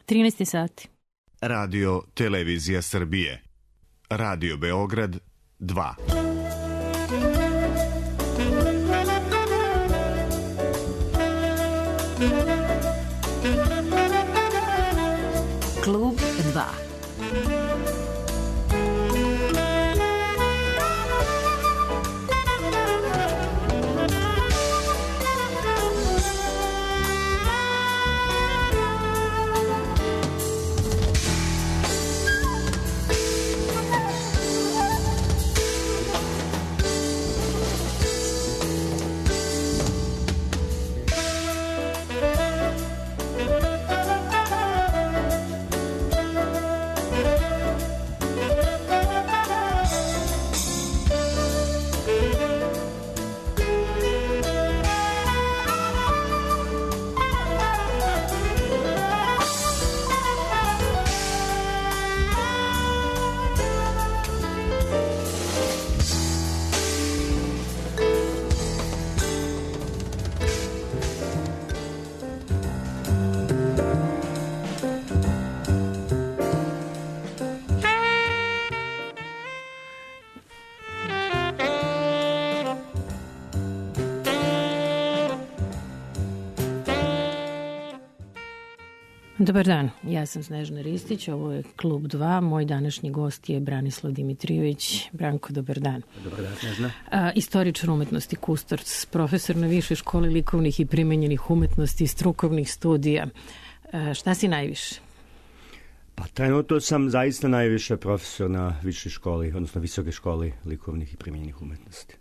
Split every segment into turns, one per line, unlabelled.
13 sati.
Radio Televizija Srbije. Radio Beograd 2.
Klub 2. Dobar dan, ja sam Snežana Ristić, ovo je Klub 2, moj današnji gost je Branislav Dimitrijević. Branko, dobar dan.
Dobar dan, Snežana.
Istoričar umetnosti, kustorac, profesor na Višoj školi likovnih i primenjenih umetnosti i strukovnih studija. Šta si najviše?
Pa trenutno sam zaista najviše profesor na Višoj školi, odnosno Visoke školi likovnih i primenjenih umetnosti.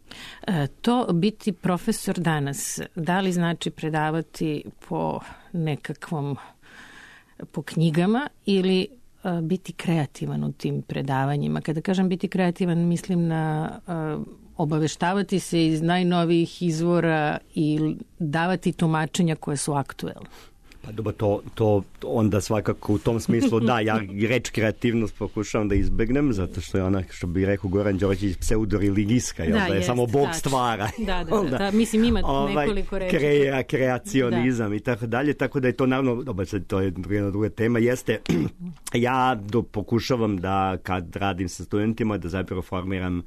To biti profesor danas, da li znači predavati po nekakvom po knjigama ili biti kreativan u tim predavanjima? Kada kažem biti kreativan, mislim na obaveštavati se iz najnovijih izvora i davati tumačenja koje su aktuelne.
Pa dobro, to onda svakako u tom smislu da, ja reč kreativnost pokušavam da izbegnem, zato što je ona, što bi rekao Goran Đorđević, pseudoreligijska, da je samo Bog stvara.
Da, mislim ima nekoliko reči.
Kreacionizam i tako dalje, tako da je to naravno, dobro, to je jedna druga tema, jeste, ja pokušavam da kad radim sa studentima, da zapravo formiram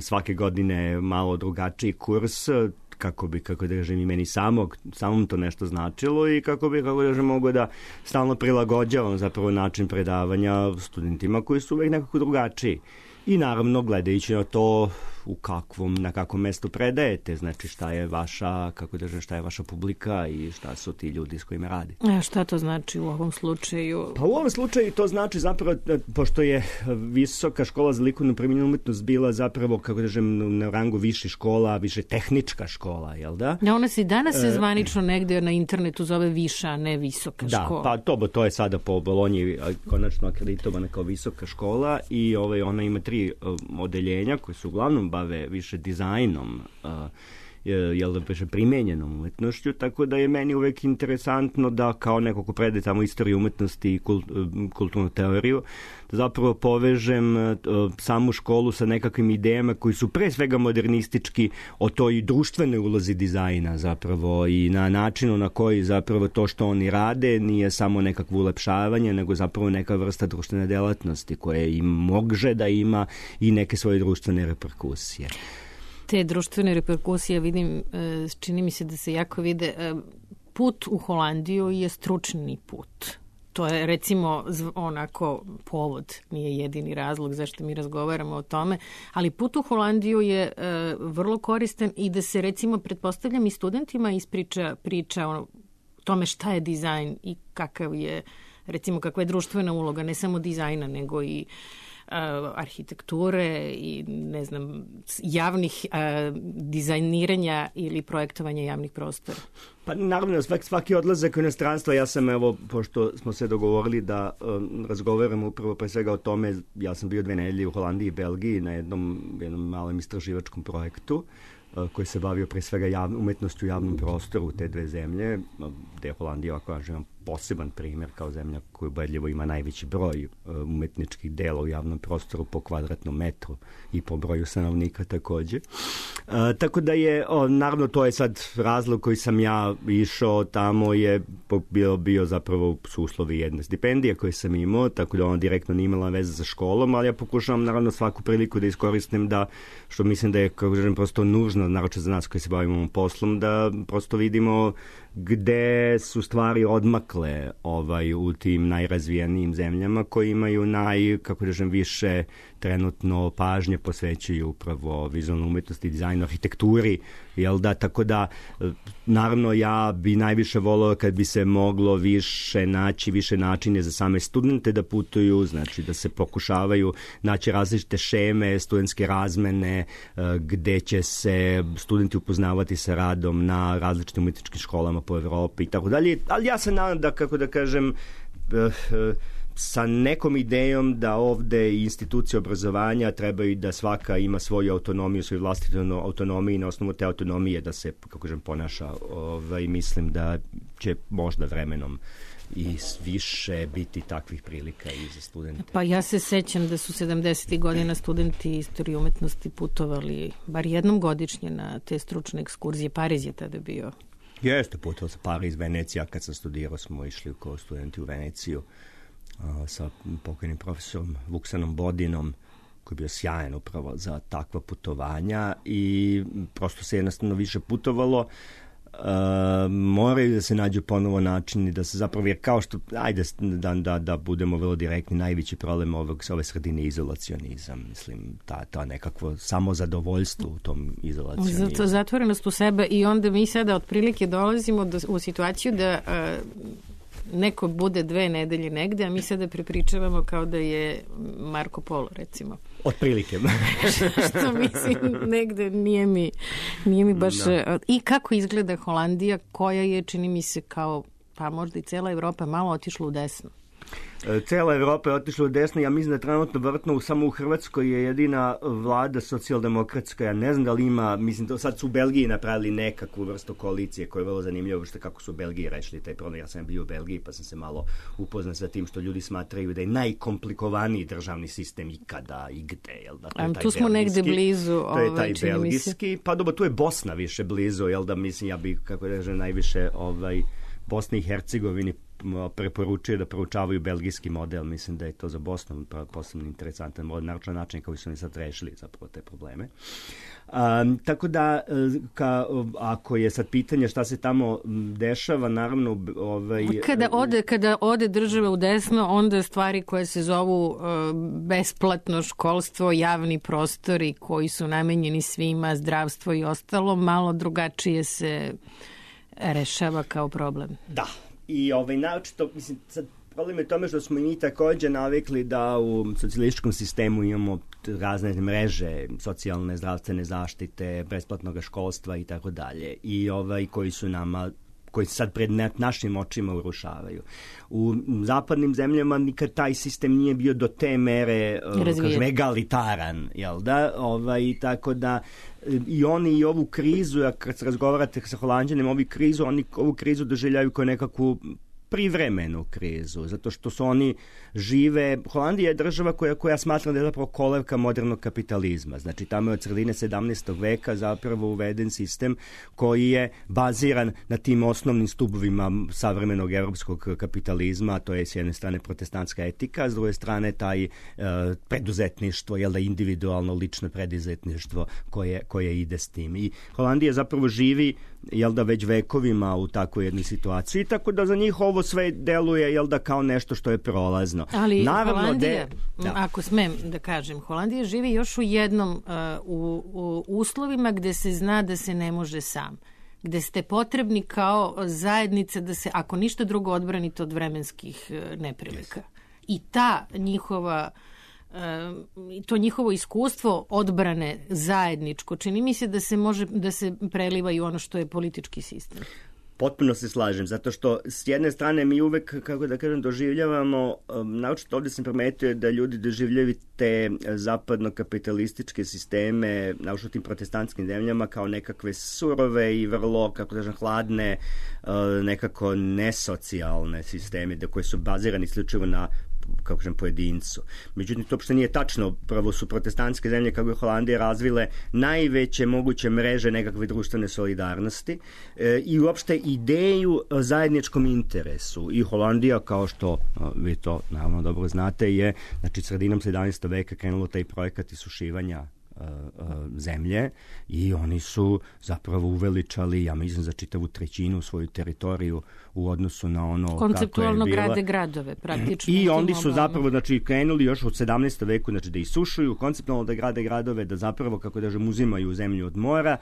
svake godine malo drugačiji kurs, kako da kažem i meni samom to nešto značilo i kako da mogu da stalno prilagođavam zapravo način predavanja studentima koji su uvek nekako drugačiji. I naravno gledajući na to na kakvom mestu predajete, znači šta je vaša, šta je vaša publika i šta su ti ljudi s kojima radi.
A šta to znači u ovom slučaju?
Pa u ovom slučaju to znači zapravo, pošto je Visoka škola za likovnu primenjenu umetnost bila zapravo, kako da kažem, na rangu više škola, više tehnička škola, jel da?
Ja, ona se danas zvanično negde na internetu zove viša, a ne visoka škola.
Da, pa to je sada po Bolonji konačno akreditovana kao visoka škola i ona ima 3 odeljenja koje su uglavnom bave više dizajnom, primenjenom umetnošću, tako da je meni uvek interesantno da kao neko ko predaje tamo istoriju umetnosti i kulturnu teoriju, da zapravo povežem samu školu sa nekakvim idejama koji su pre svega modernistički o toj društvenoj ulozi dizajna zapravo i na načinu na koji zapravo to što oni rade nije samo nekakvo ulepšavanje, nego zapravo neka vrsta društvene delatnosti koje im može da ima i neke svoje društvene reperkusije.
Te društvene reperkusije vidim, čini mi se da se jako vide. Put u Holandiju je stručni put. To je recimo onako povod, nije jedini razlog zašto mi razgovaramo o tome, ali put u Holandiju je vrlo koristan i da se recimo pretpostavljam i studentima ispriča priča o tome šta je dizajn i kakav je, recimo kakva je društvena uloga, ne samo dizajna nego i arhitekture i ne znam javnih dizajniranja ili projektovanja javnih prostora.
Pa naravno, svaki odlazak u inostranstvo, ja sam pošto smo se dogovorili da razgovaramo upravo pre svega o tome, ja sam bio 2 nedelje u Holandiji i Belgiji na jednom malom istraživačkom projektu koji se bavio pre svega umetnošću u javnom prostoru u te 2 zemlje, gde je Holandija, ako kažem, poseban primjer kao zemlja koja ubedljivo ima najveći broj umetničkih dela u javnom prostoru po kvadratnom metru i po broju stanovnika takođe. Tako da je, naravno to je sad razlog koji sam ja išao tamo je bio zapravo su uslovi jedne stipendije koje sam imao, tako da ona direktno nije imala veze sa školom, ali ja pokušavam naravno svaku priliku da iskoristim da, što mislim da je, kako kažem, prosto nužno, naroče za nas koji se bavimo ovom poslom, da prosto vidimo gde su stvari odmakle u tim najrazvijenijim zemljama koji imaju više trenutno pažnje posvećuju upravo vizualnoj umetnosti, dizajnu, arhitekturi, jel da, tako da naravno ja bi najviše volao kad bi se moglo više načine za same studente da putuju, znači da se pokušavaju naći različite šeme, studentske razmene, gde će se studenti upoznavati sa radom na različitim umetničkim školama po Evropi i tako dalje, ali ja se nadam da, kako da kažem, sa nekom idejom da ovde institucije obrazovanja trebaju da svaka ima svoju autonomiju, svoju vlastitu autonomiju i na osnovu te autonomije da se, kako kažem, ponaša. Mislim da će možda vremenom i više biti takvih prilika i za studente.
Pa ja se sećam da su 70. godina studenti istorije umetnosti putovali bar jednom godišnje na te stručne ekskurzije. Pariz je tada bio.
Jeste, putovao sa Pariz, Venecija. Kad sam studirao smo išli kao studenti u Veneciju sa pokojnim profesorom Vuksanom Bodinom, koji je bio sjajan upravo za takva putovanja i prosto se jednostavno više putovalo. Moraju da se nađu ponovo načini da se zapravo, jer kao što, ajde da budemo vrlo direktni, najveći problem ove sredine je izolacionizam. Mislim, ta nekakvo samozadovoljstvo u tom izolacionizmu.
Zato zatvorenost u sebe i onda mi sada otprilike dolazimo u situaciju da neko bude 2 nedelje negde, a mi sada prepričavamo kao da je Marko Polo, recimo.
Otprilike.
Što mislim, negde nije mi baš... No. I kako izgleda Holandija, koja je, čini mi se, kao, pa možda i cela Evropa, malo otišla u desno?
Cela Evropa je otišla u desno. Ja mislim da trenutno vrtno samo u Hrvatskoj je jedina vlada socijaldemokratska. Ja ne znam da li ima, mislim da sad su u Belgiji napravili nekakvu vrstu koalicije koja je vrlo zanimljiva, što kako su u Belgiji rešili taj problem. Ja sam bio u Belgiji pa sam se malo upoznao sa tim što ljudi smatraju da je najkomplikovaniji državni sistem ikada i gde. Jel da?
Tu smo negde blizu.
To je taj belgijski. Pa dobro, tu je Bosna više blizu, jel da, mislim, ja bih, kako da kažem, najviše Bosni i Hercegovini preporučuje da proučavaju belgijski model. Mislim da je to za Bosnu posebno interesantan model, naročan način kako su oni sad rešili zapravo te probleme. Tako da, ako je sad pitanje šta se tamo dešava, naravno...
Kada ode država u desno, onda stvari koje se zovu besplatno školstvo, javni prostori koji su namenjeni svima, zdravstvo i ostalo, malo drugačije se rešava kao problem.
Da. I naočito, mislim, sad problem je tome što smo i mi takođe navikli da u socijalističkom sistemu imamo razne mreže socijalne, zdravstvene zaštite, besplatnog školstva i tako dalje. I koji su nama, koji se sad pred našim očima urušavaju. U zapadnim zemljama nikad taj sistem nije bio do te mere kažem, egalitaran, jel da? Tako da i oni i ovu krizu, kad se razgovarate sa Holanđanima, ovu krizu doživljaju kao nekakvu privremenu krizu, zato što su oni žive... Holandija je država koja smatra da je zapravo kolevka modernog kapitalizma. Znači, tamo je od sredine 17. veka zapravo uveden sistem koji je baziran na tim osnovnim stubovima savremenog evropskog kapitalizma, to je s jedne strane protestantska etika, a s druge strane taj preduzetništvo, jel da, individualno, lično preduzetništvo koje ide s tim. I Holandija zapravo živi, jel da, već vekovima u takvoj jednoj situaciji, tako da za njih ovo sve deluje, jel da, kao nešto što je prolazno.
Ali naravno, Holandija, ako smem da kažem, Holandija živi još u jednom, u uslovima gde se zna da se ne može sam, gde ste potrebni kao zajednica da se, ako ništa drugo, odbranite od vremenskih neprilika. I ta njihova to njihovo iskustvo odbrane zajedničko, čini mi se da se može da se preliva i ono što je politički sistem.
Potpuno se slažem, zato što s jedne strane mi uvek, kako da kažem, doživljavamo, naočito ovdje sam primetio da ljudi doživljaju te zapadno-kapitalističke sisteme, naočito tim protestantskim zemljama, kao nekakve surove i vrlo, kako da kažem, hladne, nekako nesocijalne sisteme, koje su bazirani isključivo na, kako kažem, pojedincu. Međutim, to uopšte nije tačno. Prvo su protestantske zemlje, kako je Holandija, razvile najveće moguće mreže nekakve društvene solidarnosti i uopšte ideju zajedničkom interesu. I Holandija, kao što vi to naravno dobro znate, je, znači, sredinom 17. veka krenulo taj projekat isušivanja zemlje i oni su zapravo uveličali, ja mislim, za čitavu trećinu svoju teritoriju u odnosu na ono
konceptualno
kako je bila.
grade gradove, praktično.
I oni su zapravo, znači, krenuli još od 17. veku, znači, da isušuju, konceptualno da grade gradove, da zapravo, kako da kažem, uzimaju zemlju od mora,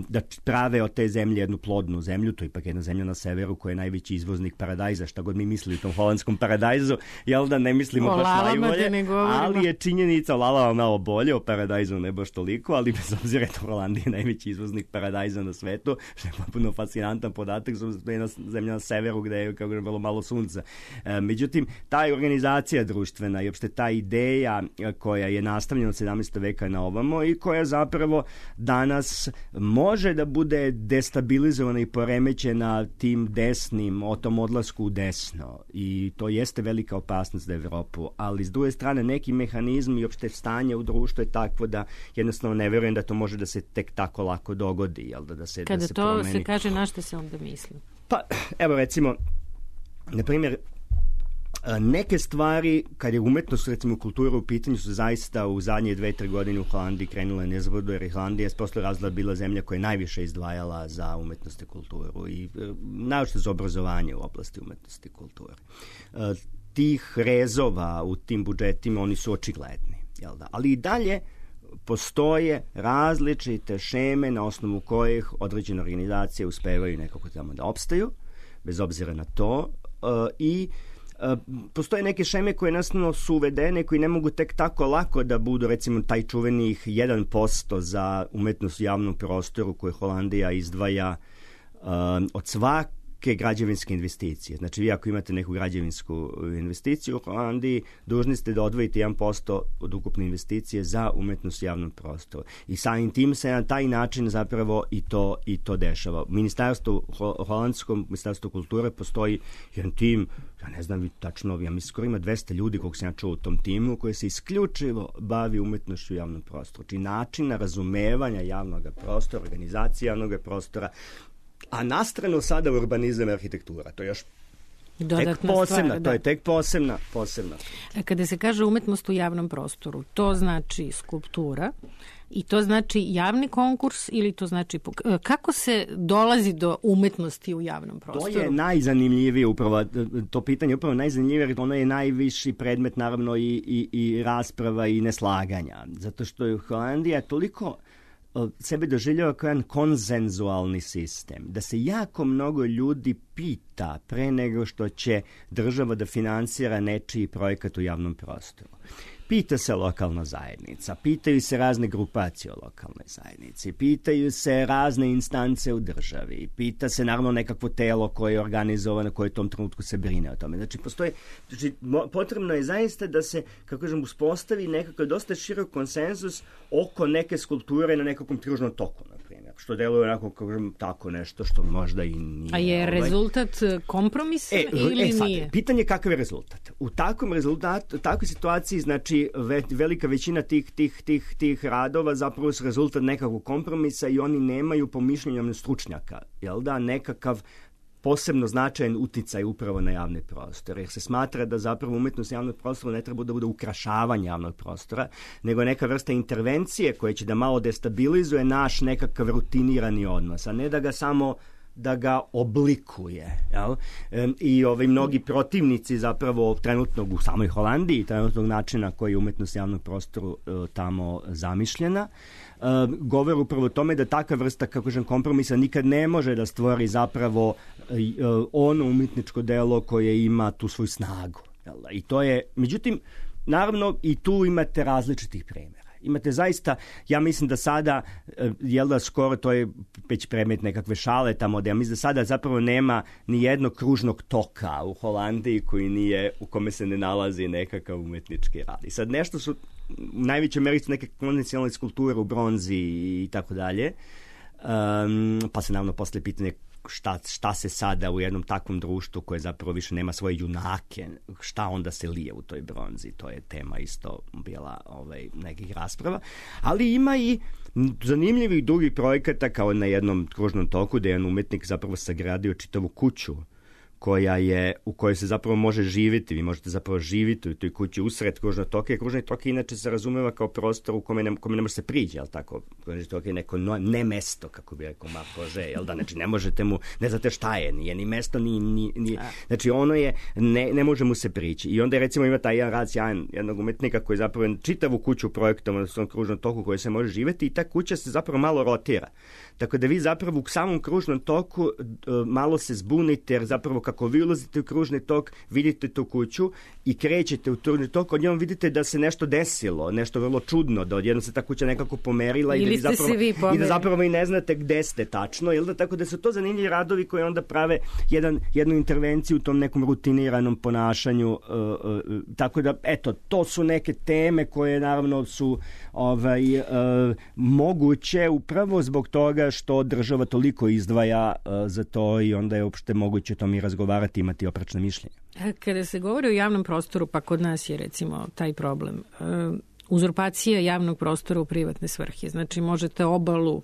da prave od te zemlje jednu plodnu zemlju. To je ipak jedna zemlja na severu koja je najveći izvoznik paradajza, šta god mi mislili u tom holandskom paradajzu, jel da ne mislimo baš najbolje, ali je činjenica, Lala malo bolje, o paradajzu ne baš toliko, ali bez obzira da Holandija je najveći izvoznik paradajza na svetu, što je potpuno fascinantan podatak, što je jedna zemlja na severu gde je, kako je vrlo malo sunca. Međutim, ta organizacija društvena i uopšte ta ideja koja je nastavljena od 17. veka na ovamo i koja zapravo danas može da bude destabilizovana i poremećena tim desnim, o tom odlasku u desno. I to jeste velika opasnost za Evropu, ali s druge strane neki mehanizmi i uopšte stanje u društvu je takvo da jednostavno ne verujem da to može da se tek tako lako dogodi, jel da se
kada
da se
to
promeni.
Se kaže, na što se onda misli?
Pa, evo recimo, na primjer, neke stvari, kad je umetnost, recimo kultura u pitanju, su zaista u zadnje 2-3 godine u Holandiji krenule nezbrdo, jer Holandija je posle razloga bila zemlja koja je najviše izdvajala za umetnost i kulturu i naročito za obrazovanje u oblasti umetnosti i kulture. Tih rezova u tim budžetima, oni su očigledni, jel da? Ali i dalje postoje različite šeme na osnovu kojih određene organizacije uspevaju nekako tamo da opstaju, bez obzira na to, i postoje neke šeme koje jednostavno su uvedene, koji ne mogu tek tako lako da budu, recimo, taj čuvenih 1% za umetnost u javnom prostoru koju Holandija izdvaja od svake građevinske investicije. Znači, vi ako imate neku građevinsku investiciju u Holandiji, dužni ste da odvojite 1% od ukupne investicije za umetnost u javnom prostoru. I samim tim se na taj način zapravo i to dešava. Holandskom ministarstvu kulture postoji jedan tim, ja ne znam tačno, ja mislim skoro ima 200 ljudi kog sam ja čuo u tom timu, koji se isključivo bavi umetnošću u javnom prostoru. Znači, načina razumevanja javnog prostora, organizacije javnog prostora, a nastrano sada urbanizam i arhitektura. To je još tek posebna, to je tek posebna.
Kada se kaže umetnost u javnom prostoru, to znači skulptura i to znači javni konkurs ili to znači... Kako se dolazi do umetnosti u javnom prostoru?
To je najzanimljivije upravo, to pitanje je upravo najzanimljivije, jer ono je najviši predmet naravno i rasprava i neslaganja. Zato što je Holandija toliko sebe doživljava kao jedan konsenzualni sistem, da se jako mnogo ljudi pita pre nego što će država da finansira nečiji projekat u javnom prostoru. Pita se lokalna zajednica, pitaju se razne grupacije o lokalnoj zajednici, pitaju se razne instance u državi, pita se naravno nekakvo telo koje je organizovano, koje u tom trenutku se brine o tome. Znači, potrebno je zaista da se, kako kažem, uspostavi nekakav dosta širok konsenzus oko neke skulpture na nekakvom kružnom toku, na primjer, što deluje onako, kako kažem, tako nešto što možda i nije.
A je rezultat kompromisa ili nije?
Pitanje je kakav je rezultat. U takvom rezultatu, u takvoj situaciji, znači, velika većina tih radova zapravo su rezultat nekakvog kompromisa i oni nemaju po mišljenju stručnjaka, jel da, nekakav posebno značajan uticaj upravo na javne prostore, jer se smatra da zapravo umetnost javnog prostora ne treba da bude ukrašavanje javnog prostora, nego neka vrsta intervencije koja će da malo destabilizuje naš nekakav rutinirani odnos, a ne da ga samo da ga oblikuje. Jel? I mnogi protivnici zapravo trenutnog u samoj Holandiji, trenutnog načina koji je umetnost javnog prostoru tamo zamišljena, govore upravo o tome da takva vrsta, kako kažem, kompromisa nikad ne može da stvori zapravo ono umetničko delo koje ima tu svoju snagu. Jel? I to je, međutim, naravno i tu imate različitih primjera. Imate zaista, ja mislim da sada, jel da skoro, to je već predmet nekakve šale tamo, da ja mislim da sada zapravo nema ni jednog kružnog toka u Holandiji u kome se ne nalazi nekakav umetnički rad. I sad nešto su, u najvećoj meri su neke konvencionalne skulpture u bronzi i tako dalje, pa se naravno posle pitanje šta se sada u jednom takvom društvu koje zapravo više nema svoje junake, šta onda se lije u toj bronzi, to je tema isto bila nekih rasprava, ali ima i zanimljivih drugih projekata, kao na jednom kružnom toku gde je jedan umetnik zapravo sagradio čitavu kuću u kojoj se zapravo može živjeti. Vi možete zapravo živjeti u toj kući usred kružnog toka. Kružni tok inače se razumeva kao prostor u kome ne može se priđe, jel tako? Kružni tok je neko ne mesto, kako bi rekao Marc Roger, jel da? Znači ne možete mu, ne znate šta je, nije ni mesto, ni znači ono je, ne može mu se prići. I onda recimo ima taj jedan rad sjajan jednog umetnika koji zapravo čitavu kuću projektovan na svom kružnom toku koji se može živjeti i ta kuća se zapravo malo rotira. Tako da vi zapravo u samom kružnom toku malo se zbunite, jer zapravo kako vi ulazite u kružni tok, vidite tu kuću i krećete u kružni tok, odjednom vidite da se nešto desilo, nešto vrlo čudno, da odjednom se ta kuća nekako pomerila i da zapravo vi ne znate gde ste tačno, jel da? Tako da su to zanimljivi radovi koji onda prave jednu intervenciju u tom nekom rutiniranom ponašanju, tako da, eto, to su neke teme koje naravno su moguće upravo zbog toga što država toliko izdvaja za to i onda je uopšte moguće o tom i razgovarati, imati oprečna mišljenja.
Kada se govori o javnom prostoru, pa kod nas je recimo taj problem. Uzurpacija javnog prostora u privatne svrhe. Znači možete obalu,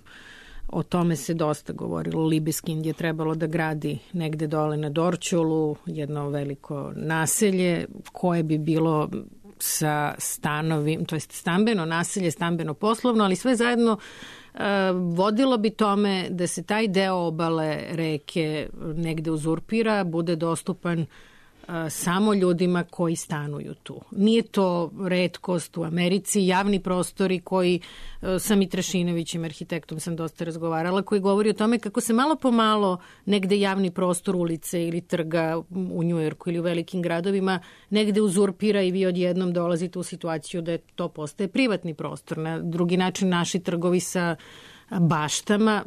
o tome se dosta govorilo, Libeskind je trebalo da gradi negde dole na Dorćolu jedno veliko naselje koje bi bilo sa stanovim, to jest stambeno naselje, stambeno poslovno, ali sve zajedno vodilo bi tome da se taj deo obale reke negde uzurpira, bude dostupan samo ljudima koji stanuju tu. Nije to retkost u Americi, javni prostori koji, sa Mitrašinovićem, arhitektom sam dosta razgovarala, koji govori o tome kako se malo po malo negde javni prostor ulice ili trga u Njujorku ili u velikim gradovima negde uzurpira i vi odjednom dolazite u situaciju da to postaje privatni prostor. Na drugi način naši trgovi sa baštama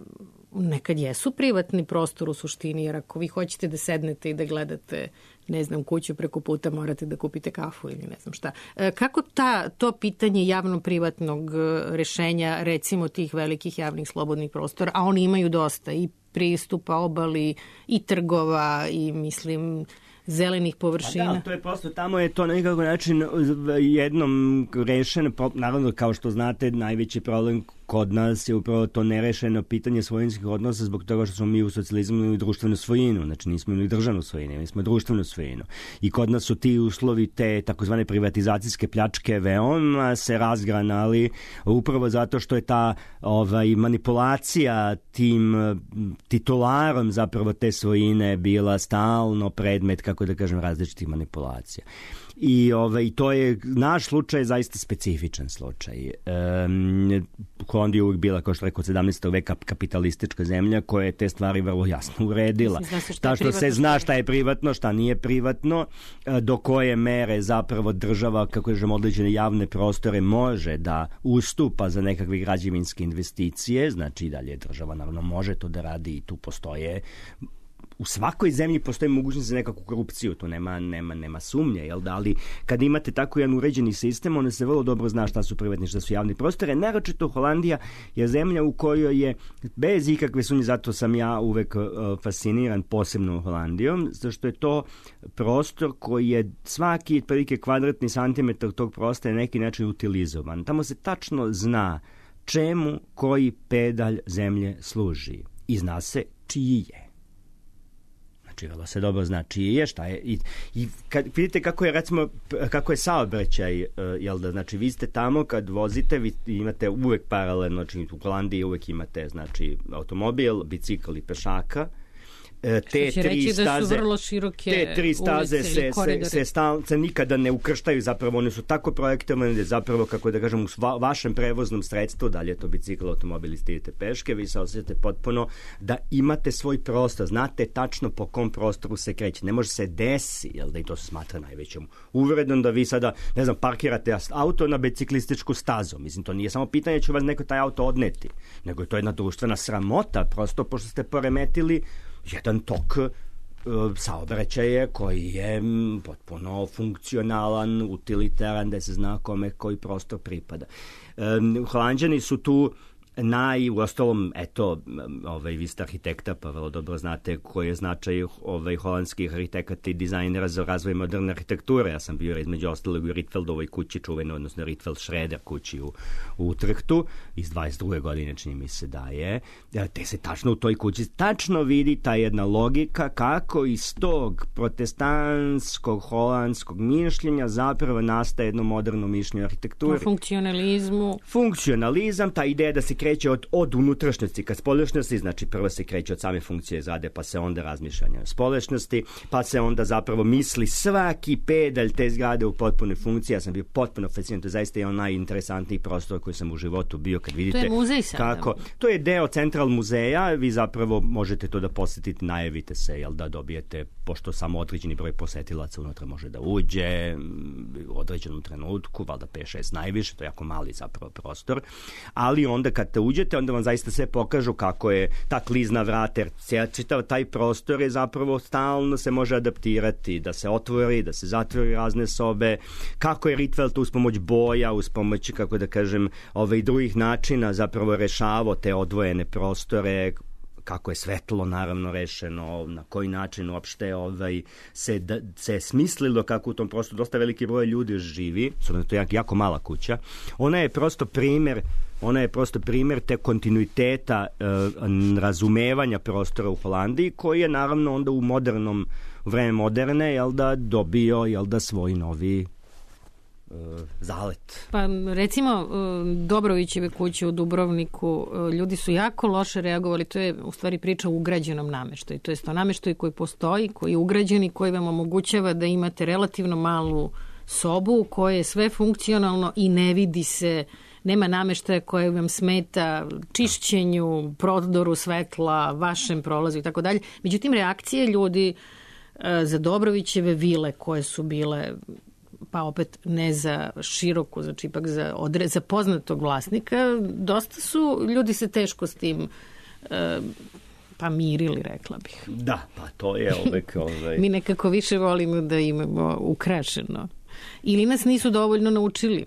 nekad jesu privatni prostor u suštini, jer ako vi hoćete da sednete i da gledate, ne znam, kuću preko puta, morate da kupite kafu ili ne znam šta. Kako to pitanje javno-privatnog rešenja, recimo tih velikih javnih slobodnih prostora, a oni imaju dosta i pristupa obali i trgova i mislim zelenih površina.
Da, to je prosto, tamo je to na nekako način jednom rešeno, naravno kao što znate najveći problem kod nas je upravo to nerešeno pitanje svojinskih odnosa zbog toga što smo mi u socijalizmu imali društvenu svojinu, znači nismo imali državnu svojinu, imali smo društvenu svojinu. I kod nas su ti uslovi te takozvane privatizacijske pljačke veoma se razgranali upravo zato što je ta manipulacija tim titularom zapravo te svojine bila stalno predmet, kako da kažem, različitih manipulacija. I to je, naš slučaj zaista specifičan slučaj. Holandija je uvijek bila, kao što rekao, 17. veka kapitalistička zemlja koja je te stvari vrlo jasno uredila. Šta što se zna šta je privatno, šta nije privatno, do koje mere zapravo država, kako kažem, određene javne prostore može da ustupa za nekakve građevinske investicije, znači i dalje država naravno može to da radi i tu postoje. U svakoj zemlji postoji mogućnost za nekakvu korupciju, to nema sumnje, jel da, ali kad imate tako jedan uređeni sistem, onda se vrlo dobro zna šta su privatni, šta su javni prostore. Naročito Holandija je zemlja u kojoj je, bez ikakve sumnje, zato sam ja uvek fasciniran posebno Holandijom, zato što je to prostor koji je svaki otprilike kvadratni santimetar tog prostora na neki način utilizovan. Tamo se tačno zna čemu koji pedalj zemlje služi i zna se čiji je. Vrlo se dobro zna čiji je, šta je. I kad vidite kako je saobraćaj, jel da, znači vi ste tamo kad vozite, vi imate uvek paralelno, znači u Holandiji uvek imate, znači, automobil, bicikl i pešaka.
te tri staze, da su vrlo široke
te tri staze
ulice
se nikada ne ukrštaju, zapravo one su tako projektovane da zapravo, kako da kažem, u vašem prevoznom sredstvu, da li je to bicikl, automobil, idete peške, vi se osjećate potpuno da imate svoj prostor, znate tačno po kom prostoru se kreće. Ne može se desi, jel da i to se smatra najvećom uvredom, da vi sada, ne znam, parkirate auto na biciklističku stazu. Mislim, to nije samo pitanje će vas neko taj auto odneti, nego je to jedna društvena sramota, prosto pošto ste poremetili jedan tok saobraćaja koji je potpuno funkcionalan, utilitaran, da se zna kome koji prostor pripada. Holanđani su tu uostalom, eto, vi ste arhitekta, pa vrlo dobro znate koji je značaj holandskih arhitekata i dizajnera za razvoj moderne arhitekture. Ja sam bio između ostalog u Rietveldovoj kući, čuveno, odnosno Rietveld-Schroeder kući u Utrechtu, iz 22. godine čini mi se da je. Te se tačno u toj kući tačno vidi ta jedna logika kako iz tog protestantskog holandskog mišljenja zapravo nastaje jedno moderno mišljenje arhitekture. Funkcionalizam, ta ideja da se kreće od unutrašnjosti ka spoljašnjosti, znači prvo se kreće od same funkcije zade, pa se onda razmišljanja o spoljašnjosti, pa se onda zapravo misli svaki pedalj te zgrade u potpunoj funkciji. Ja sam bio potpuno fasciniran, to je zaista jedan najinteresantniji prostor koji sam u životu bio, kad vidite
to je muzej kako.
To je deo Central muzeja, vi zapravo možete to da posjetite, najavite se, jel da dobijete, pošto samo određeni broj posetilaca unutra može da uđe u određenom trenutku, valjda 5-6 najviše, to je jako mali zapravo prostor, ali onda kad te uđete, onda vam zaista sve pokažu kako je ta klizna vrata, jer čitav taj prostor je zapravo stalno se može adaptirati, da se otvori, da se zatvori razne sobe, kako je Rietveld uz pomoć boja, uz pomoć, kako da kažem, drugih načina zapravo rešavao te odvojene prostore, kako je svetlo naravno rešeno, na koji način uopšte se smislilo kako u tom prostoru dosta veliki broj ljudi živi, to je jako mala kuća. Ona je prosto primer te kontinuiteta razumevanja prostora u Holandiji, koji je naravno onda u vreme moderne, dobio svoj novi zalet.
Pa recimo Dobrovićeve kuće u Dubrovniku, ljudi su jako loše reagovali, to je u stvari priča o ugrađenom nameštaju, to je to nameštaju koji postoji, koji je ugrađen i koji vam omogućava da imate relativno malu sobu u kojoj je sve funkcionalno i ne vidi se, nema nameštaja koje vam smeta čišćenju, prodoru svetla, vašem prolazu i tako dalje. Međutim, reakcije ljudi za Dobrovićeve vile koje su bile, pa opet ne za široku, znači ipak za poznatog vlasnika, dosta su, ljudi se teško s tim pa mirili, rekla bih.
Da, pa to je uvek
Mi nekako više volimo da imamo ukrašeno. Ili nas nisu dovoljno naučili.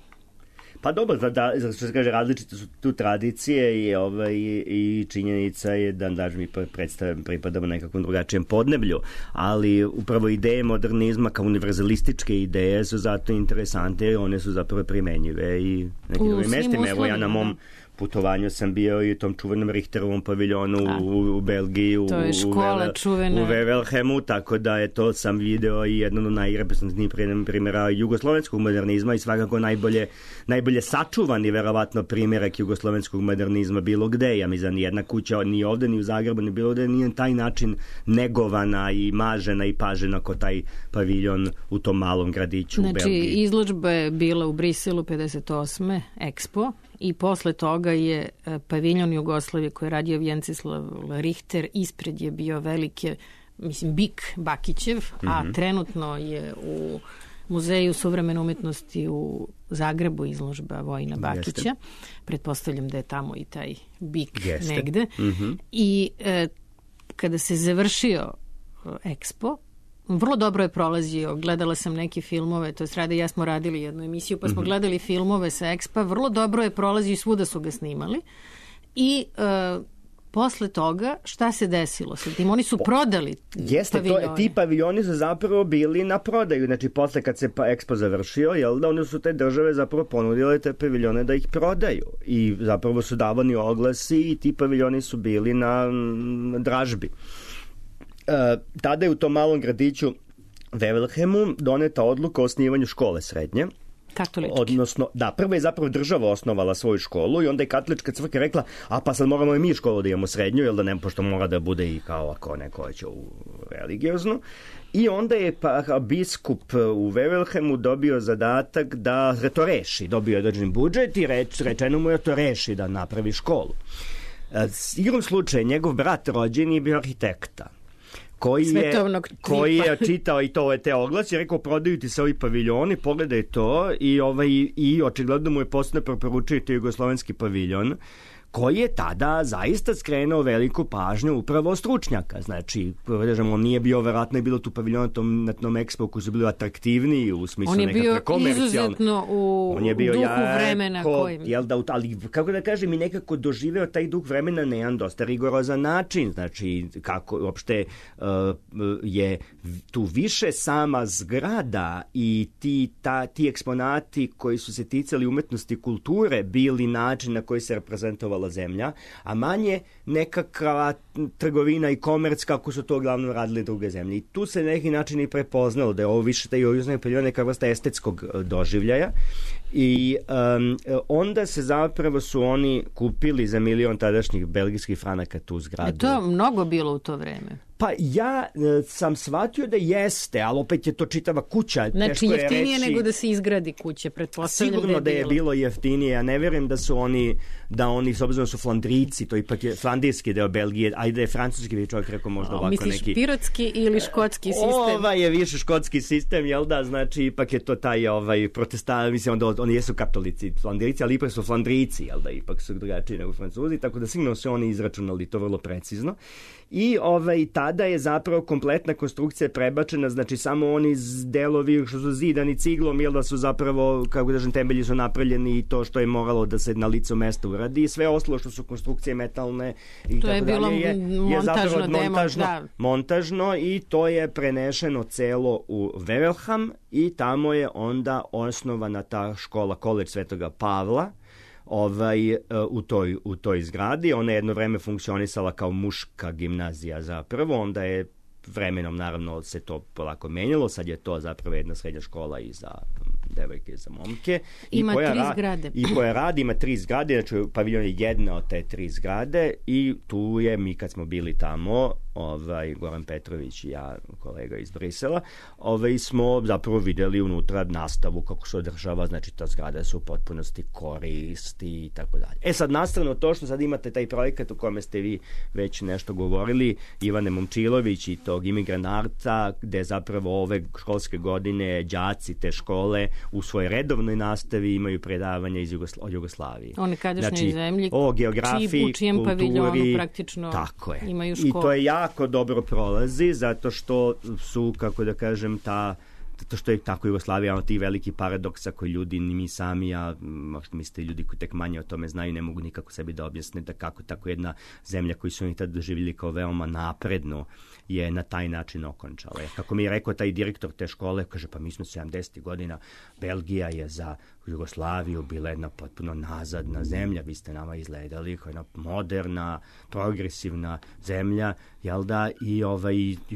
Pa dobro, što se kaže, različite su tu tradicije i činjenica je da mi pripadamo nekakvom drugačijem podneblju, ali upravo ideje modernizma kao univerzalističke ideje su zato interesante i one su zapravo primenjive i nekim drugim mestima. Evo ja na mom putovanju sam bio i u tom čuvenom Richterovom paviljonu u Belgiji, u Wevelgemu, tako da je to sam video i jedno od najreprezentativnijih primjera jugoslovenskog modernizma i svakako najbolje sačuvani verovatno primjerak jugoslovenskog modernizma bilo gde. Ja mislim da nijedna kuća ni ovde ni u Zagrebu ni bilo gde nije taj način negovana i mažena i pažena kao taj paviljon u tom malom gradiću u Belgiji.
Znači, izložba je bila u Briselu 58. Expo i posle toga je paviljon Jugoslavije koji je radio Vjenceslav Richter, ispred je bio velike, Bik Bakićev, a trenutno je u Muzeju suvremene umetnosti u Zagrebu izložba Vojina Bakića. Pretpostavljam da je tamo i taj Bik negde. I kada se završio Expo, vrlo dobro je prolazio, gledala sam neke filmove, to je Rade i ja smo radili jednu emisiju, pa smo gledali filmove sa Expa, vrlo dobro je prolazio i svuda su ga snimali i posle toga šta se desilo sa tim? Oni su prodali paviljone.
Ti paviljoni su zapravo bili na prodaju, znači posle kad se Expo završio, one su te države zapravo ponudile te paviljone da ih prodaju i zapravo su davani oglasi i ti paviljoni su bili na dražbi. Tada je u tom malom gradiću Wevelgemu doneta odluka o osnivanju škole srednje
Katolički.
Odnosno, da, prvo je zapravo država osnovala svoju školu i onda je katolička crkva rekla, a pa sad moramo i mi školu da imamo srednju, jel da ne, pošto mora da bude i kao ako neko će u religioznu. I onda je biskup u Wevelhemu dobio zadatak da to reši. Dobio je određen budžet i rečeno mu je to reši, da napravi školu. Igrom slučaja, njegov brat rođeni je bio arhitekta, koji je čitao i te oglase i rekao, prodaju ti se ovi paviljoni, pogledaj to i očigledno mu je posebno preporučio to jugoslovenski paviljon, koji je tada zaista skrenuo veliku pažnju upravo stručnjaka. Znači, on nije bio, verovatno je bilo tu paviljon na tom ekspo koji su bili atraktivniji u smislu nekakve komercijalne.
On je bio izuzetno u duhu vremena.
Ali, kako da kažem, i nekako doživeo taj duh vremena na jedan dosta rigorozan način. Znači, kako uopšte je tu više sama zgrada i ti eksponati koji su se ticali umetnosti i kulture bili način na koji se reprezentovala zemlja, a manje nekakva trgovina i komerc kako su to uglavnom radili druge zemlje. I tu se na neki način i prepoznalo da je ovo više taj jugoslavenski paviljon neka vrsta estetskog doživljaja i onda se zapravo su oni kupili za 1.000.000 tadašnjih belgijskih franaka tu zgradu.
To mnogo bilo u to vreme.
Pa ja sam shvatio da jeste, ali opet je to čitava kuća.
Znači jeftinije nego da se izgradi kuća, pretpostavljam.
Sigurno da je bilo jeftinije, ja ne vjerujem da oni s obzirom su Flandrijci, to ipak je flandrijski deo Belgije, ajde je francuski bi čovjek rekao možda ovako neki.
Misliš pirotski ili škotski sistem?
Ovaj je više škotski sistem, jel da, znači ipak je to taj protestant, mislim da oni jesu katolici Flandrijci, ali ipak su Flandrijci, jel da, ipak su drugačiji nego Francuzi, tako da sigurno su oni izračunali to vrlo precizno. I tada je zapravo kompletna konstrukcija prebačena, znači samo oni delovi što su zidani ciglom, jel da su zapravo, kako da kažem, temelji su napravljeni i to što je moralo da se na licu mesta uradi i sve ostalo što su konstrukcije metalne i
to
tako
je bilo
dalje je zapravo montažno i to je prenešeno celo u Wevelgem i tamo je onda osnovana ta škola, College Svetoga Pavla, u toj zgradi. Ona je jedno vreme funkcionisala kao muška gimnazija zapravo, onda je vremenom naravno se to polako menjalo, sad je to zapravo jedna srednja škola i za devojke i za momke.
Ima 3 zgrade.
I koja radi, ima 3 zgrade, znači paviljon je jedna od te 3 zgrade i tu je, mi kad smo bili tamo, Goran Petrović i ja, kolega iz Brisela, smo zapravo vidjeli unutra nastavu kako se održava, znači ta zgrada se u potpunosti koristi i tako dalje. Sad nastavno to što sad imate taj projekat u kome ste vi već nešto govorili, Ivane Momčilović i tog imigranata, gde zapravo ove školske godine đaci te škole u svojoj redovnoj nastavi imaju predavanja od Jugoslavije.
One kadašnjoj zemlji,
o geografiji,
u čijem
kulturi,
paviljonu praktično imaju školu.
I to je jako dobro prolazi, zato što su, kako da kažem, zato što je tako Jugoslavija, ti veliki paradoksa koji ljudi, ni mi sami, a možda mislite ljudi koji tek manje o tome znaju, ne mogu nikako sebi da objasne da kako tako jedna zemlja koju su oni tada doživjeli kao veoma napredno je na taj način okončala. Kako mi je rekao taj direktor te škole, kaže, pa mi smo 70. godina, Belgija je za Jugoslaviju bila jedna potpuno nazadna zemlja, vi ste nama izgledali kao jedna moderna, progresivna zemlja, jel da, i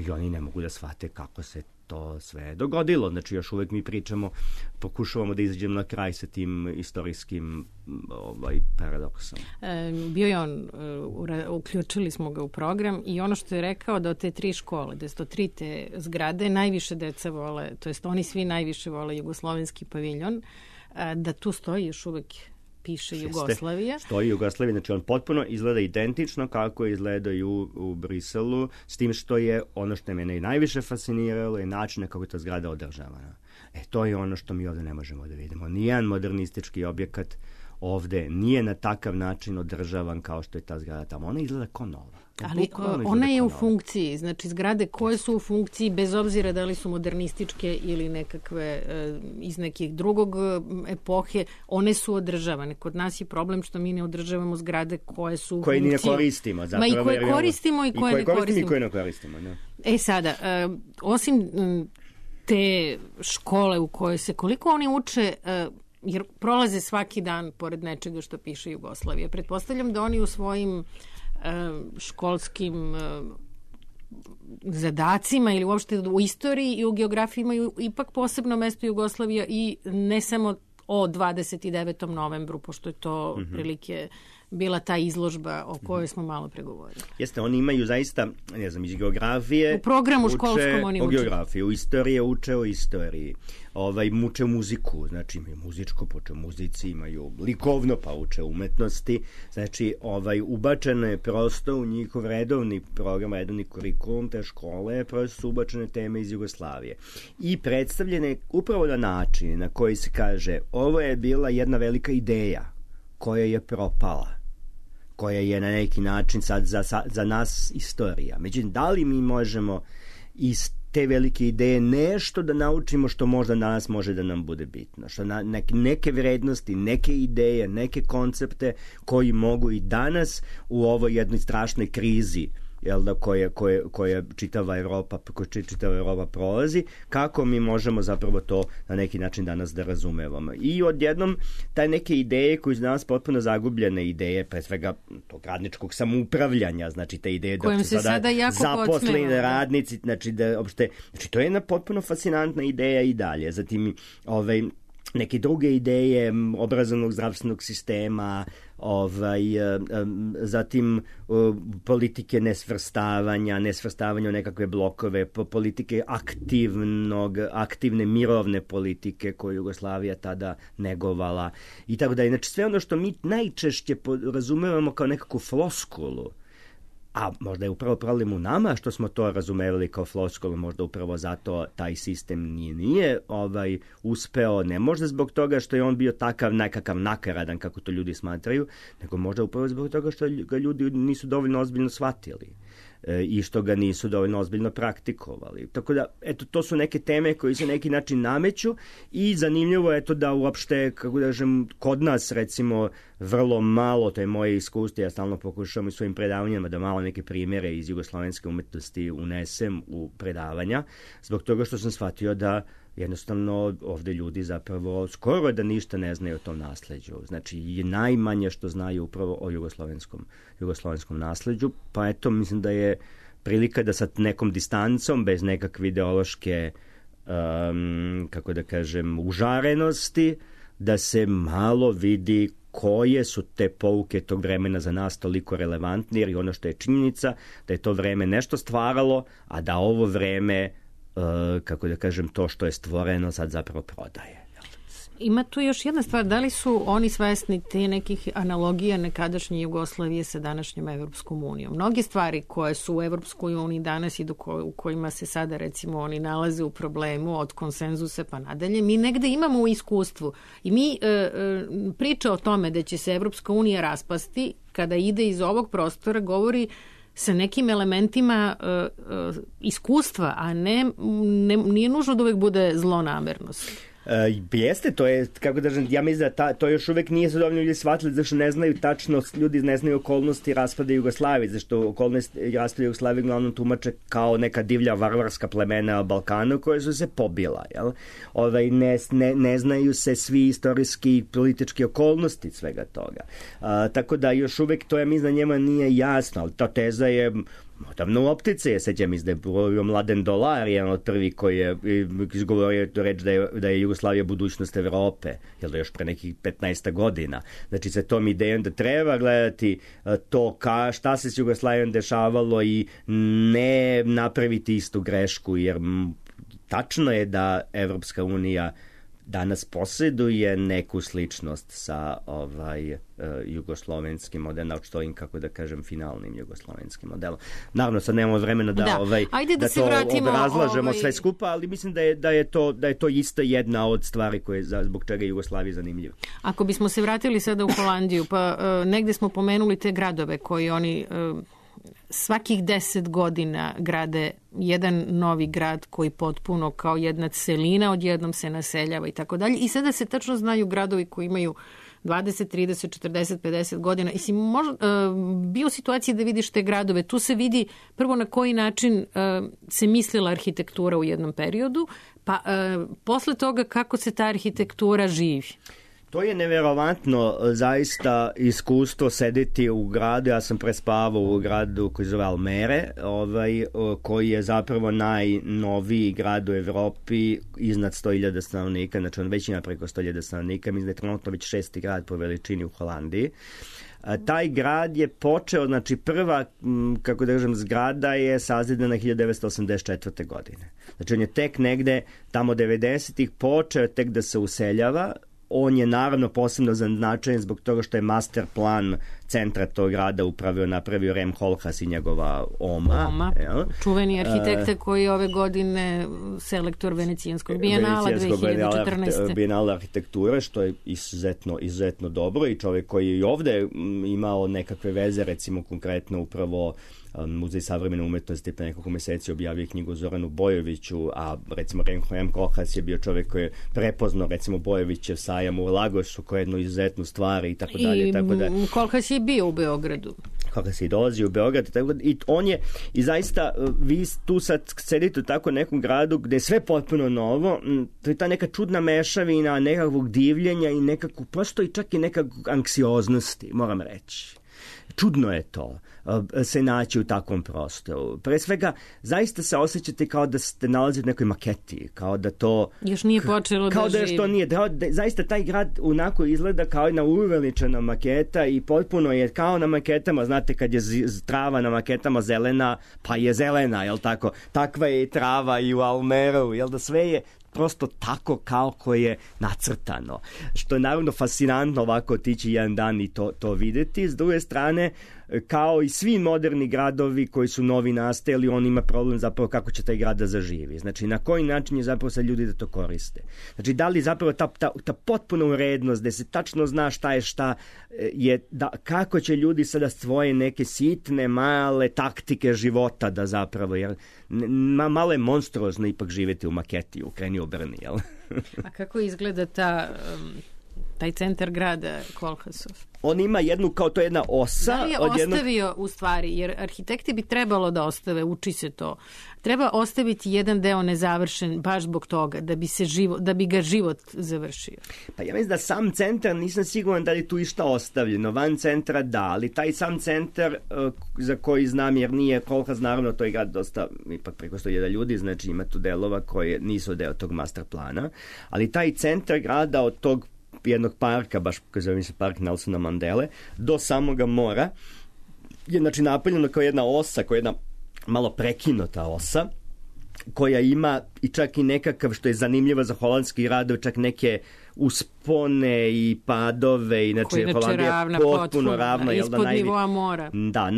oni ne mogu da shvate kako se to sve dogodilo. Znači, još uvek mi pričamo, pokušavamo da izađemo na kraj sa tim istorijskim paradoksom.
Bio je on, uključili smo ga u program i ono što je rekao da od te 3 škole, da su to 3 te zgrade, najviše deca vole, to jest oni svi najviše vole jugoslovenski paviljon, da tu stoji još uvek piše Jugoslavija.
Stoji Jugoslavija, znači on potpuno izgleda identično kako izgleda i u Briselu, s tim što je ono što mene i najviše fasciniralo je način kako je ta zgrada održavana. To je ono što mi ovde ne možemo da vidimo. Nijedan modernistički objekat ovde nije na takav način održavan kao što je ta zgrada tamo. Ona izgleda kao nova.
Ali ona je u funkciji, znači zgrade koje su u funkciji, bez obzira da li su modernističke ili nekakve iz nekih drugog epohe, one su održavane. Kod nas je problem što mi ne održavamo zgrade koje su u funkciji.
Koje ne koristimo. Zapravo,
i koje koristimo i koje ne koristimo.
I koje ne koristimo, da.
Sada, osim te škole u kojoj se, koliko oni uče, jer prolaze svaki dan pored nečega što piše Jugoslavija. Pretpostavljam da oni u svojim školskim zadacima ili uopšte u istoriji i u geografiji imaju ipak posebno mesto Jugoslavija i ne samo o 29. novembru, pošto je to prilike bila ta izložba o kojoj smo malo pregovorili.
Jeste, oni imaju zaista, ne znam, iz geografije...
U programu školskom oni uče.
O geografiji, u istoriji uče o istoriji. Uče muziku, znači imaju muzičko, poče muzici, imaju likovno, pa uče umetnosti. Znači, ubačeno je prosto u njihov redovni program, redovni kurikulum te škole, prosto su ubačene teme iz Jugoslavije. I predstavljene upravo na način na koji se kaže, ovo je bila jedna velika ideja koja je propala, koja je na neki način sad za nas istorija. Međutim, da li mi možemo iz te velike ideje nešto da naučimo što možda danas može da nam bude bitno, što neke vrednosti, neke ideje, neke koncepte koji mogu i danas u ovoj jednoj strašnoj krizi koja čitava Evropa prolazi, kako mi možemo zapravo to na neki način danas da razumevamo. I odjednom taj neke ideje koje su danas potpuno zagubljene ideje, pre svega tog radničkog samoupravljanja, znači te ideje
da se sada
zaposleni radnici, znači to je jedna potpuno fascinantna ideja i dalje. Zatim neke druge ideje obrazovnog zdravstvenog sistema, zatim politike nesvrstavanja u nekakve blokove, politike aktivne mirovne politike koju Jugoslavija tada negovala i tako dalje. Znači sve ono što mi najčešće razumevamo kao nekakvu floskulu, a možda je upravo problem u nama što smo to razumevali kao floskulu, možda upravo zato taj sistem nije uspeo, ne možda zbog toga što je on bio nekakav nakaradan, kako to ljudi smatraju, nego možda upravo zbog toga što ga ljudi nisu dovoljno ozbiljno shvatili i što ga nisu dovoljno ozbiljno praktikovali. Tako da, to su neke teme koje se neki način nameću i zanimljivo je to da uopšte, kako da kažem, kod nas recimo vrlo malo, to je moje iskustvo, ja stalno pokušavam u svojim predavanjima da malo neke primjere iz jugoslovenske umetnosti unesem u predavanja, zbog toga što sam shvatio da jednostavno ovde ljudi zapravo skoro da ništa ne znaju o tom nasleđu. Znači, je najmanje što znaju upravo o jugoslovenskom nasleđu, pa mislim da je prilika da sa nekom distancom, bez nekakve ideološke, kako da kažem, užarenosti, da se malo vidi koje su te pouke tog vremena za nas toliko relevantne, jer ono što je činjenica, da je to vreme nešto stvaralo, a da ovo vreme, kako da kažem, to što je stvoreno sad zapravo prodaje.
Ima tu još jedna stvar, da li su oni svesni te nekih analogija nekadašnje Jugoslavije sa današnjom Evropskom unijom? Mnoge stvari koje su u Evropskoj uniji danas i u kojima se sada recimo oni nalaze u problemu od konsenzusa pa nadalje, mi negde imamo u iskustvu i mi priča o tome da će se Evropska unija raspasti kada ide iz ovog prostora govori sa nekim elementima iskustva, a nije nužno da uvek bude zlonamernost.
Jeste, to je, kako da ja mislim da to još uvek nije se dovoljno ljudi shvatili, zašto ne znaju tačno, ljudi ne znaju okolnosti raspada Jugoslavije, zašto okolnosti raspada Jugoslavije uglavnom tumače kao neka divlja varvarska plemena na Balkanu koje su se pobila, jel? Ne znaju se svi istorijski i politički okolnosti svega toga. Tako da još uvek to, ja mislim, njema nije jasno, ali ta teza je odavno u optici. Ja sećam da je bio Mladen Dolar, jedan od prvi koji je izgovorio to reč da je Jugoslavija budućnost Evrope, jel da još pre nekih 15 godina. Znači sa tom idejom da treba gledati to šta se s Jugoslavijom dešavalo i ne napraviti istu grešku, jer tačno je da Evropska unija danas posjeduje neku sličnost sa jugoslovenskim modelom, što im, kako da kažem, finalnim jugoslovenskim modelom. Naravno, sad nemamo vremena da to obrazlažemo sve skupa, ali mislim da je to isto jedna od stvari zbog čega je Jugoslavija zanimljiva.
Ako bismo se vratili sada u Holandiju, pa negde smo pomenuli te gradove koji oni svakih 10 godina grade jedan novi grad koji potpuno kao jedna celina odjednom se naseljava i tako dalje. I sada se tačno znaju gradovi koji imaju 20, 30, 40, 50 godina. I si bio u situaciji da vidiš te gradove. Tu se vidi prvo na koji način se mislila arhitektura u jednom periodu, pa posle toga kako se ta arhitektura živi.
To je neverovatno zaista iskustvo sedeti u gradu. Ja sam prespavao u gradu koji zove Almere, koji je zapravo najnoviji grad u Evropi iznad 100.000 stanovnika, znači on već ima preko 100.000 stanovnika, mislim da je trenutno već 6. grad po veličini u Holandiji. Taj grad je počeo, znači prva, kako da kažem, zgrada je sazidana 1984. godine. Znači on je tek negde tamo 90-ih počeo tek da se useljava. On je naravno posebno značajan zbog toga što je master plan centra tog grada napravio Rem Koolhaas i njegova Oma.
Čuveni arhitekta koji je ove godine selektor Venecijanskog bijenala 2014.
Bijenala arhitekture, što je izuzetno dobro, i čovjek koji je i ovde imao nekakve veze, recimo konkretno upravo Muzej savremene umetnosti pre nekoliko meseci objavio knjigu Zoranu Bojoviću, a recimo Rem Koolhaas je bio čovjek koji je prepoznao recimo Bojovićev sajam u Lagosu kao jednu izuzetnu stvar i tako dalje.
I Koolhaas je bio u Beogradu.
Koolhaas je dolazi u Beograd i on je, i zaista vi tu sad sedite u tako nekom gradu gde je sve potpuno novo, to je ta neka čudna mešavina nekakvog divljenja i nekakvu, prosto i čak i nekakvog anksioznosti, moram reći. Čudno je to, se naći u takvom prostoru. Pre svega, zaista se osjećate kao da ste nalazili u nekoj maketi, kao da to...
Još nije počelo
kao da još to nije. Zaista taj grad unako izgleda kao jedna uveličena maketa i potpuno je kao na maketama, znate kad je trava na maketama zelena, pa je zelena, jel tako? Takva je i trava i u Almeru, jel da sve je prosto tako kao koje je nacrtano. Što je naravno fascinantno ovako otići jedan dan i to videti. S druge strane, kao i svi moderni gradovi koji su novi nastajali, on ima problem zapravo kako će taj grad da zaživi. Znači, na koji način je zapravo sad ljudi da to koriste. Znači, da li zapravo ta potpuna urednost, da se tačno zna šta je šta, je kako će ljudi sada svoje neke sitne, male taktike života da zapravo, jer malo je monstruozno ipak živjeti u maketi, u kreni obrni, jel?
A kako izgleda taj centar grada Koolhaasov?
On ima jednu, kao to jedna osa.
Da li je ostavio u stvari, jer arhitekti bi trebalo da ostave, uči se to. Treba ostaviti jedan deo nezavršen baš zbog toga, da bi ga život završio.
Pa ja mislim da sam centar, nisam siguran da li tu išta ostavljeno. Van centra da, ali taj sam centar za koji znam, jer nije Koolhaas, naravno to je grad dosta, ipak preko 100.000 ljudi, znači ima tu delova koje nisu deo tog master plana, ali taj centar grada od tog jednog parka, baš koji zove se park Nelsona Mandele, do samoga mora je znači napravljeno kao jedna osa, kao jedna malo prekinuta osa, koja ima i čak i nekakav, što je zanimljivo za holandski grad, čak neke uspone i padove, inače Holandija je potpuno ravna,
ispod nivoa mora.
Da,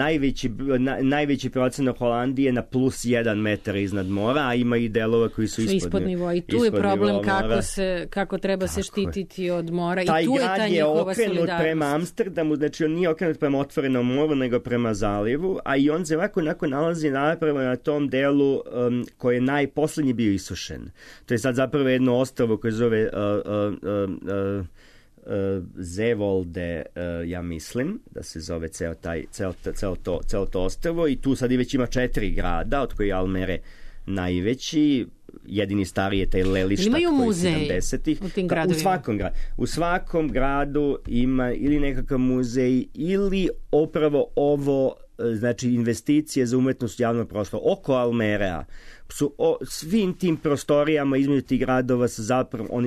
najveći procenat Holandije na plus 1 metar iznad mora, a ima i delova koji su ispod nivoa.
I tu je problem kako treba se štititi od mora.
Taj
i tu
grad je okrenut prema Amsterdamu, znači on nije okrenut prema otvorenom moru, nego prema zalivu, a i on se ovako nalazi napravo na tom delu koji je najposlednji bio isušen. To je sad zapravo jedno ostrvo koje zove Zeewolde, ja mislim da se zove ceo to ostrvo, i tu sad i već ima 4 grada, od koji je Almere najveći, jedini stariji je taj Lelystad koji je 70-ih. U svakom gradu ima ili nekakav muzej ili upravo ovo, znači investicije za umetnost javnog prostora. Oko Almerea su svim tim prostorijama između tih gradova su zapravo,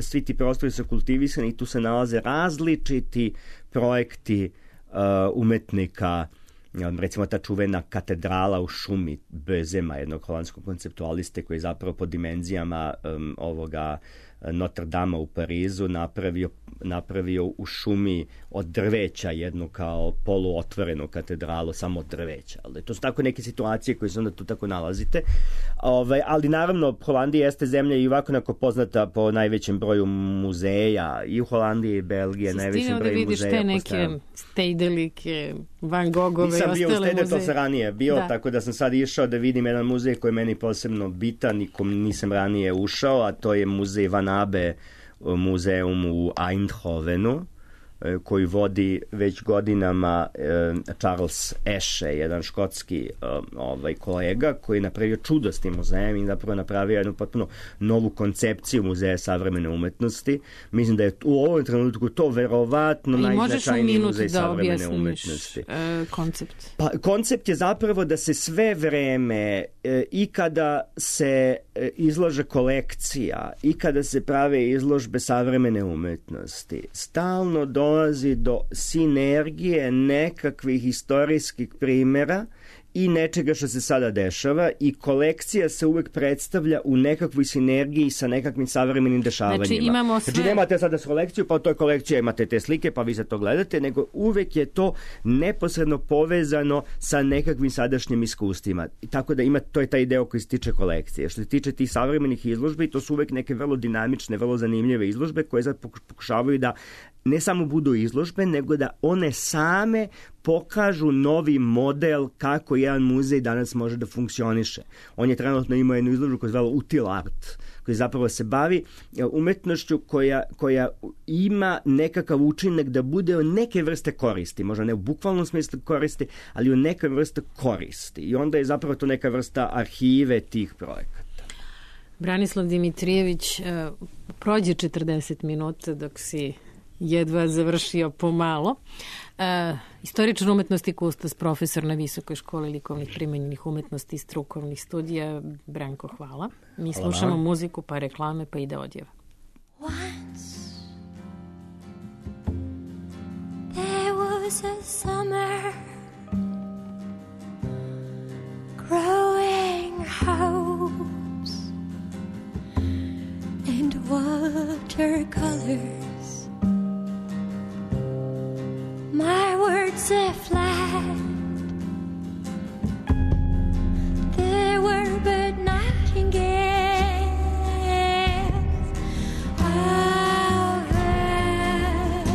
svi ti prostori su kultivisani i tu se nalaze različiti projekti umetnika, recimo ta čuvena katedrala u šumi Bezema, jednog holandskog konceptualiste koji je zapravo po dimenzijama ovoga Notre Dame u Parizu napravio u šumi od drveća jednu kao poluotvorenu katedralu samo od drveća. Ali to su tako neke situacije koje se onda tu tako nalazite. Ali naravno Holandija jeste zemlja i ovako onako poznata po najvećem broju muzeja i u Holandiji i Belgije. Najvećem broju muzeja.
Te neke Stedelijke, Van Gogove i ostale muzeje.
Nisam bio u Stede, to sam ranije bio, tako da sam sad išao da vidim jedan muzej koji je meni posebno bitan i kom nisam ranije ušao, a to je muzej Van Abbe, muzeum u Eindhovenu, koju vodi već godinama Charles Eshe, jedan škotski kolega koji je napravio čudo s tim muzejem i zapravo napravio jednu potpuno novu koncepciju muzeja savremene umetnosti. Mislim da je u ovom trenutku to verovatno najznačajniji muzej savremene umetnosti.
Koncept?
Pa, koncept je zapravo da se sve vreme i kada se izlaže kolekcija i kada se prave izložbe savremene umetnosti, stalno dolazi do sinergije nekakvih istorijskih primjera i nečega što se sada dešava i kolekcija se uvek predstavlja u nekakvoj sinergiji sa nekakvim savremenim dešavanjima.
Znači imamo sve...
Znači nemate sada kolekciju, pa u toj kolekciji imate te slike, pa vi se to gledate, nego uvek je to neposredno povezano sa nekakvim sadašnjim iskustvima. Tako da to je taj deo koji se tiče kolekcije. Što se tiče tih savremenih izložbi, to su uvek neke vrlo dinamične, vrlo zanimljive izložbe koje sad pokušavaju da ne samo budu izložbe, nego da one same pokažu novi model kako jedan muzej danas može da funkcioniše. On je trenutno imao jednu izložbu koja je zvala Util Art, koji zapravo se bavi umetnošću koja ima nekakav učinak da bude o neke vrste koristi, možda ne u bukvalnom smislu koristi, ali u neke vrste koristi. I onda je zapravo to neka vrsta arhive tih projekata.
Branislav Dimitrijević, prođe 40 minuta dok si jedva završio pomalo. Istoričar umetnosti, kustos, profesor na Visokoj školi likovnih primenjenih umetnosti i strukovnih studija. Branko, hvala. Mi slušamo muziku, pa reklame, pa ide odjeva.
Once there was a summer growing hopes and watercolors. My words are flat. There were but nightingales. I'll have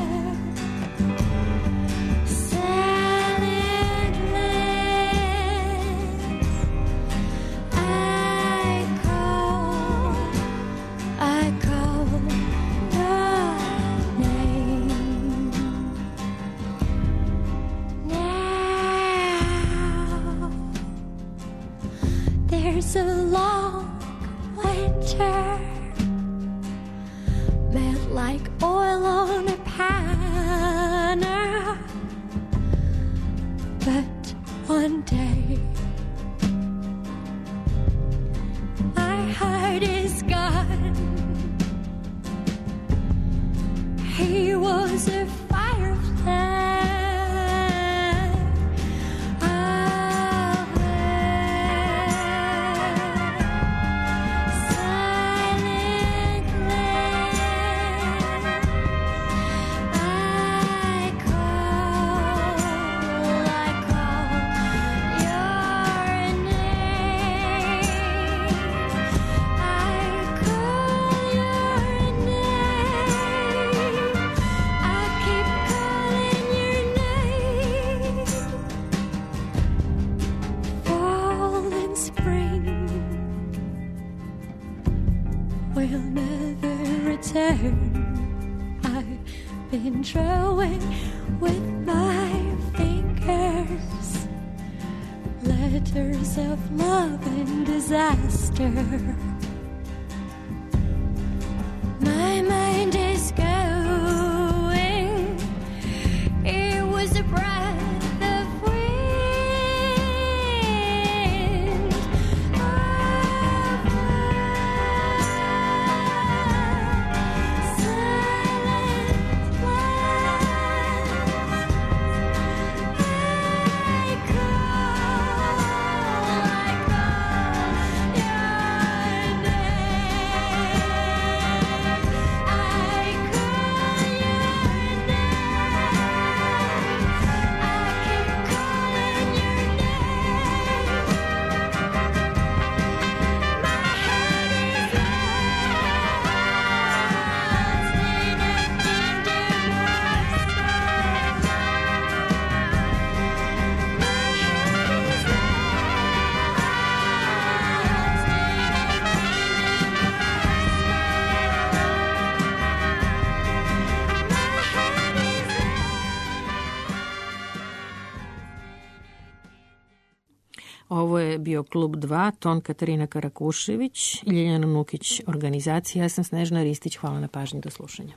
silent lands. I call your name. There's a long winter, melt like oil on a pan. But one day, my heart is gone. He was a firefly. I've been drawing with my fingers letters of love and disaster. My mind is going. It was a breath of wind. I call your name.
Ovo je bio Klub 2, ton Katarina Karakušević, Ljiljana Nukić, organizacija. Ja sam Snežana Ristić. Hvala na pažnji, do slušanja.